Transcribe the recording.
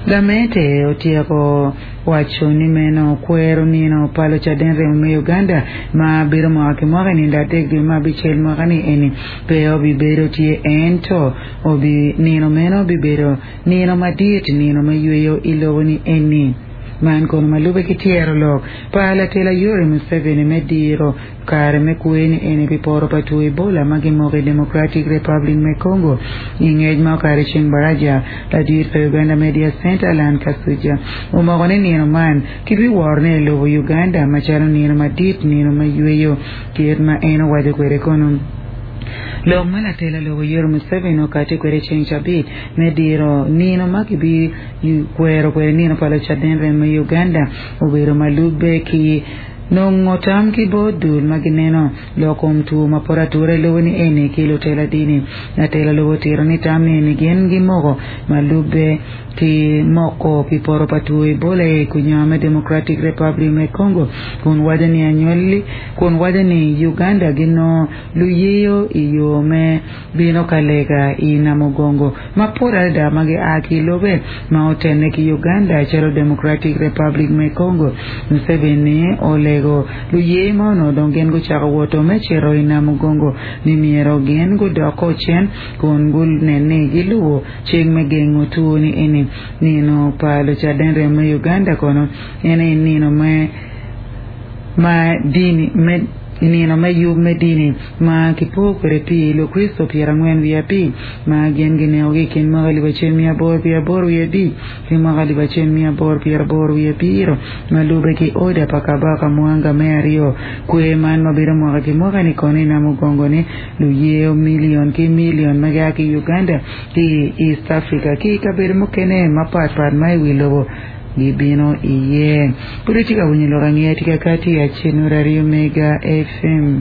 Gamente otyeko waco ni meno kwero nino pa Lucaden Remo me Uganda ma bedo mwaka ki mwaka i nindo adek dwe me abicel mwaka ni eni pe obibedo tye ento obi nino meno bibedo nino madit nino me yweyo i lobo ni eni. Man kono ma lube ki tyero lok pa latela Yoweri Museveni me diro Kare me kwer ni eni pi poto pa two Ebola ma gimoko i Democratic Republic me Congo. I ngec ma okato i ceng baraja, ladit pa Uganda Media Centre Allan Kasujja omoko ni nino man kibiworo ne i lobo Uganda macalo nino madit nino me yweyo kit ma en owaco kwede kono. Lok ma latela lobo Yoweri Museveni okati kwede ceng cabit me diro nino ma kibikwero kwede nino pa Lucaden rem me Uganda obedo ma lubbe ki Nongo tam ki bot dul ma gineno lok kom two ma poto atura i lobo ni eni ki lutela dini. Latela lobo otito ni tam ni eni gin gimoko ma lubbe ki moko pi poto pa two Ebola i kunyango me Democratic Republic me Congo kun waco ni anywali kun waco ni Uganda ginongo luyeyo i yo me bino ka lega i Namugongo mapol adada ma gia ki i lobe ma otenne ki Uganda calo Democratic Republic me Congo. Museveni olego luye ma onongo dong gin gucako woto me cito i Namugongo ni myero gin gudok cen kun gunen ni gilubo cik me gengo two ni eni. Nino pa Lucaden Remo me Uganda kono en aye nino me ma dini me nino me yub me dini ma kipo kwede pi Lukricito 45 ma gin ginekogi i kin mwaka 1885 ki mwaka 1887 ma lubbe ki oda pa Kabaka Mwanga me aryo. Kwer man ma bedo mwaka ki mwaka-ni kono i Namugongo-ni luyeyo milion ki milion ma gia ki i Uganda ki i East Africa ki i kabedo mukene mapatpat ma i wi lobo gibino iye. Pud itye ka winyo lok angeya tika kati i Acel Ngut Aryo Mega FM.